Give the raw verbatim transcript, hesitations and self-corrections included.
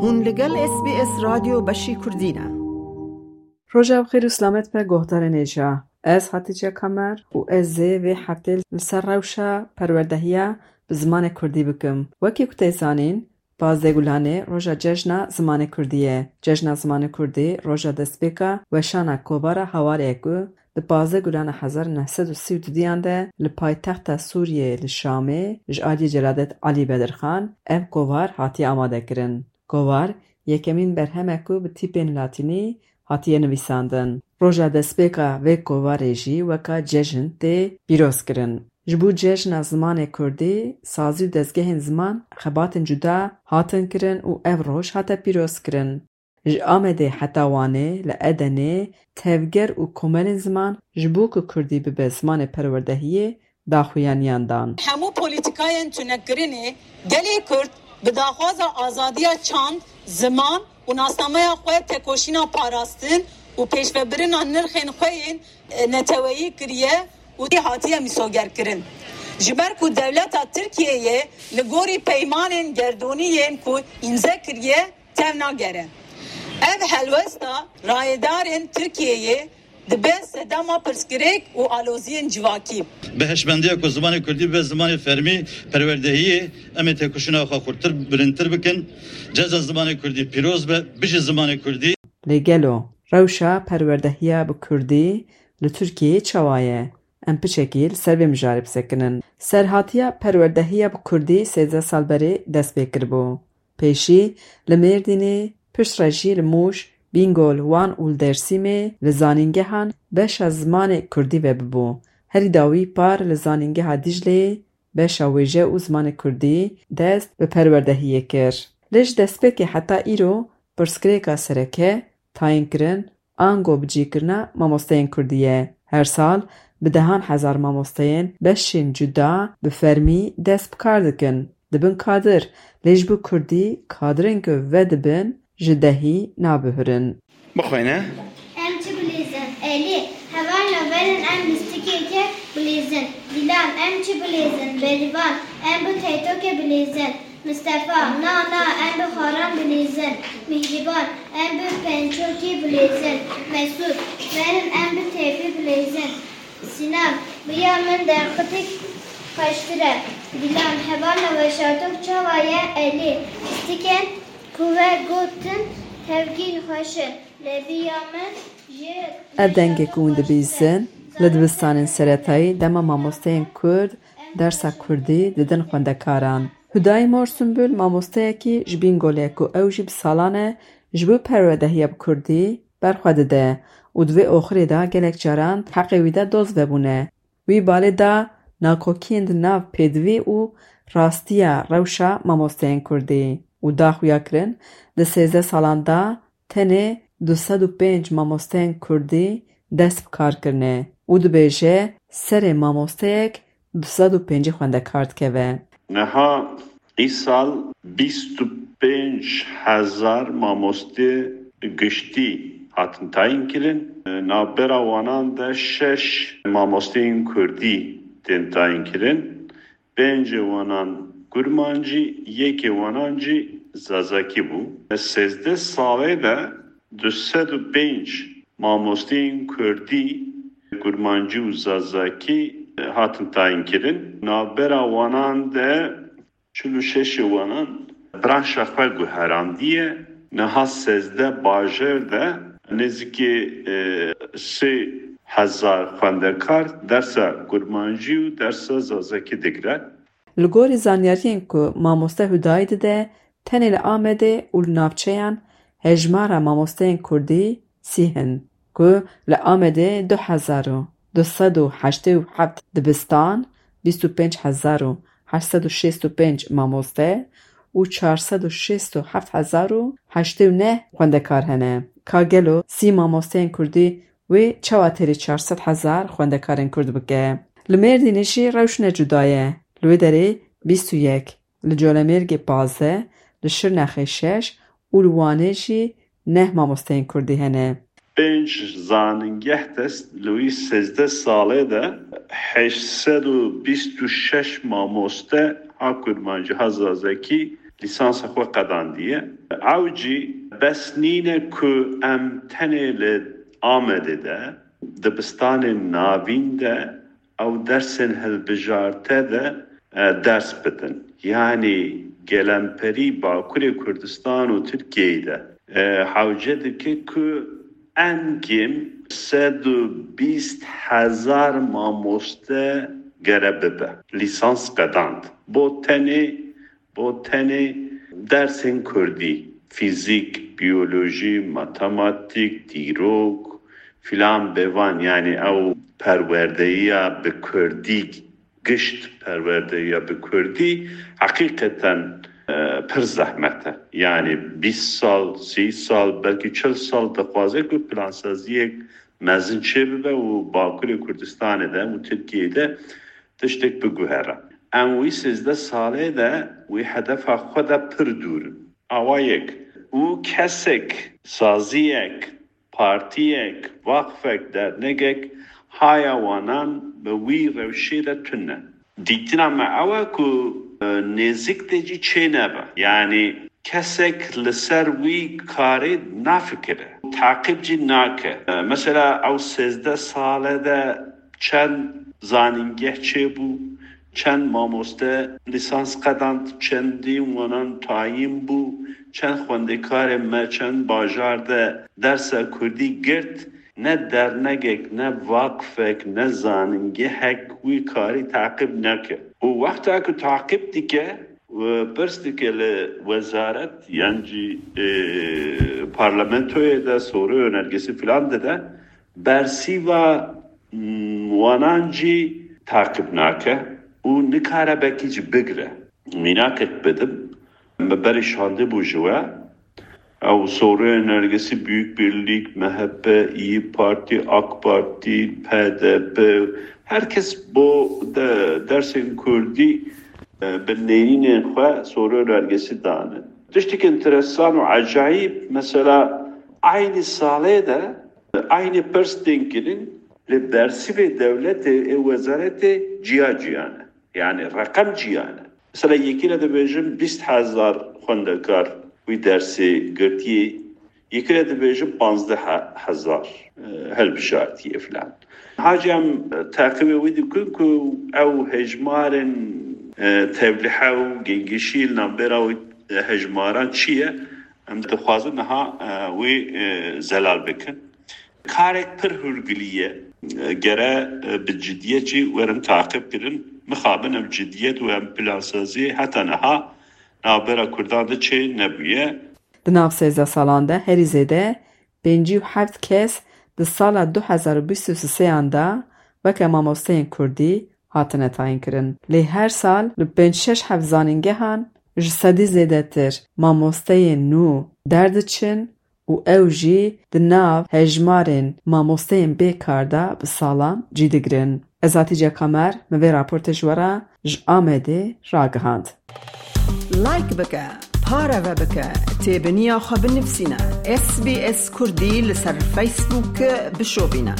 Hûn li gel S B S Radyo Beşî Kurdî ne. Roja bi xêr û selamet be guhdarên hêja. Ez Hatice Kamer û ez ê vê heftê li ser rewşa perwerdehiya bi zimanê kurdî bikim. Wekî ku tê zanîn, pazdeh Gulanê roja cejna zimanê kurdî ye. Cejna zimanê kurdî roja destpêka weşana kovara Hawarê ye ku di pazdeh Gulana hezar û neh sed û sî û dudiyan de li paytexta Sûriyeyê li Şamê ji aliyê Celadet Alî Bedirxan ev kovar hatiye amade kirin. Kovar yekemîn berhem e ku bi tîpên latînî hatiye nivîsandin. Roja destpêka vê kovarê jî weka cejn tê pîroz kirin. Ji bo cejna zimanê kurdî, sazî û dezgehên ziman xebatên cuda hatin kirin û ev roj hate pîroz kirin. Ji Amedê heta Wanê, li Edenê, tevger û komelên ziman ji bo ku kurdî bibe zimanê perwerdehiyê daxuyaniyan dan. Hemû polîtîkayên tunekirinê gelê Kurd bi daxwaza azadiya çand, ziman û nasnameya xwe tekoşîna parastin û pêşvebirina nirxên xwe yên, e, neteweyî kiriye û tê hatiye mîsogerkirin. Ji ber ku dewleta Tirkiyeyê li gorî peymanên gerdûnî yên ku îmze kiriye, tev nagere. Ev helwesta rayedarên Tirkiyeyê dibe sedema pirsgirêk û aloziyên civakî. Bi hişmendiya ku zimanê kurdî bibe zimanê fermî perwerdehiyê, em ê têkoşîna xwe xurtir, bilindtir bikin. Ceza zimanê kurdî pîroz be, bijî zimanê kurdî. Lê gelo rewşa perwerdehiya bi kurdî li Tirkiyeyê çawa ye? Em piçekî li ser vê mijarê bisekinin. Serhatiya perwerdehiya bi kurdî sêzdeh sal berê dest pê kiribû. Pêşî li Mêrdînê, piştre jî li Mûş, Bîngol, Wan û li Dêrsimê li zanîngehan beşa zimanê kurdî vebibû. Herî dawî par li zanîngeha Dîcleyê beşa wêje û zimanê kurdî dest bi perwerdehiyê kir. Lê ji destpêkê heta îro pirsgirêka sereke tayînkirin ango bicîkirina mamosteyên kurdî ye. Her sal bi dehan hezar mamosteyên beşên cuda bi fermî dest bi kar dikin. Dibin kadir, lê ji bo kurdî kadirên ku vedibin ji dehî nabihurin. Bixwîne. Em çi bilêzin? Elî, hevalno verin em bi stikekê bilêzin. Dîlan, em çi bilêzin? Berîvan, em bi teytokê bilêzin. Mistefa, na, na, em bi xwaran bilîzin. Mîhrîban, em bi pençokî bilîzin. Mesûd, verin em bi têpî bilîzin. Sînan, bi ya min derxitik xweştir e. Dîlan, hevalno weşartok çawa ye? Elî, pistikên ku we gotin tevgî xweş in. Lê bi ya min jî Ev dengê ku hûn dibîzin, li dibistanên seretayî dema mamosteyên kurd dersa kurdî didin xwendekaran. Hudayî Mor Sumbul mamosteyekî ji Bîngolê ye ku ew jî bi salan e ji bo perwedehiya bi kurdî berxwe dide û di vê oxirê de gelek caran heqê wî de doz vebûne. Wî balê da nakokiyên di nav pêdivî û rastiya rewşa mamosteyên kurdî û da xuya kirin di sêzdeh salan de tenê du sed û pênc mamosteyên kurdî dest bi kar kirine û dibêje serê mamosteyek du sed û pêncî xwendekar dikeve. Niha îsal bîst û pênc hezar mamoste giştî hatin tayîn kirin. Navbera wanan de şeş mamosteyên kurdî tên tayîn kirin. Pêncê wanan kurmancî, yekê wanan jî zazakî bû. Sêzdeh salê de du sed û pênc mamosteyên kurdî, kurmancî û zazakî hatin tayîn kirin. Navbera wanan de çil û şeşê wanan branşa xwe guherandiye. Niha sêzdeh bajêr de nêzîkî, e, sê hezar xwendekar dersa kurmancî û dersa zazakî digre. Li gorî zanyariyên ku mamoste Hudayî dide, tenê li Amedê û li navçeyan hejmara mamosteyên kurdî sî hin, ku li Amedê du hezar û du sed û heştê û heft dibistan, bîst û pênc hezar û heşt sed û şêst û pênc mamoste û çar sed û şêst û heft hezar û heştê û neh xwendekar hene. Ka gelo sî mamosteyên kurdî wê çawa têrî çar sed hezar xwendekarên kurd bike? Li Mêrdînê jî rewş ne cuda ye. Li wê derê bîst û yek, li Colemêrgê pazdeh, li Şirnexê şeş û li Wanê jî neh mamosteyên kurdî hene. Pênc zanîngeh dest li wî sêzdeh salê de heşt sed û bîst û şeş mamoste ha kurmancî ha zazakî lîsansa xwe qedandiye. Ew jî bes nîne ku em tenê li Amedê de, dibistanên navîn de ew dersên hilbijarte de, e, ders bidin. Yanî gelemperî Bakurê Kurdistan û Tirkiyeyê de, e, hewce dike ku enkêm sed û bîst hezar mamoste gere bibe. Lîsans qedand. Bo tenê, bo tenê dersên kurdî, fîzîk, biyolojî, matematîk, dîrok, filan bêvan, yanî ew perwerdeyiya bi kurdî, gişt perwerdeyiya bi kurdî heqîqeten, e, pir zehmet e. Yanî bîst sal, sî sal, belkî çil sal dixwaze ku plansaziyek mezin çêbibe û Bakurê Kurdistanê de û Tirkiyeyê de tiştek biguhere. Em wî sêzdeh salê de wî hedefa xwe de pir dûr in. Awa yek. Û kesek, saziyek, partiyek, vaqfek, dernegek haya wanan bi wî rewşê de tune. Dîtina me ew e ku, e, nêzik de jî çênebe. Yanî kesek li ser wî karê nafikire. Taqîb jî nake. E, mesela ew sêzdeh sale de çend zanîngeh çêbû, çend mamoste lîsans qedand, çendî wanan tayîn bû, çend xwendekarê me, çend bajar de dersa kurdî girt, ne dernegek, ne vaqfek, ne zanîngehek wî karî taqîb neke. Û wexta ku taqîb dike, pirs dike li wezaret yan jî, e, parlamentoyê de, sorê û nergêsî filan dide, bersîva, m, wanan jî taqîb nake û nikare belkî jî bigire. Mînakek bidim, me berê şandê bû ji we, ew sorê nergêsî Büyük Birlik, M H P, İYİ Parti, AK Parti, P D P, herkes bo de, dersên kurdî, e, bi nêrînên xwe sorê nergêsî dane. Tiştek enteresan û ecayîb, mesela, eynî salê de eynî pirs tên kirin, lê bersîvê dewletê ê wezaretê ciya ciya ne. Yanî reqem ciya ne. Mesela, yekî re dibêjin bîst hezar xwendekar wî dersê girtiye, yekî re dibêjin panzdeh hezar, e, hilbijartiye filan. Hacî em, e, teqîbê wî dikin ku ew hejmarên, e, tevlihe û gengişî li navbera wî, e, hejmaran çi ye? Em dixwazin niha, e, wî, e, zelal bikin. Karek pir hûrgilî ye. E, gere, e, bi cidiyet jî werin taqîb kirin. Mixabin ev cidiyet û ev plansaziyê heta niha navbera Kurdan de çê nebûye. Di nav sêzdeh salan de herî zêde pêncî û heft kes di sala du hezar û bîst û sêyan de weke mamosteyên kurdî hatine tayînkirin. Lê her sal li pênc şeş heft zanîngehan ji sedî zêdetir mamosteyên nû derdiçin û ew jî di nav hejmarên mamosteyên bê kar de bi salan cî digirin. Ez Hatice Kamer, min vê raportê ji we re ji Amedê ragihand. Like bike, pareve bike, têbiniya xwe binivîsîne. S B S Kurdî li ser Facebook bişopîne.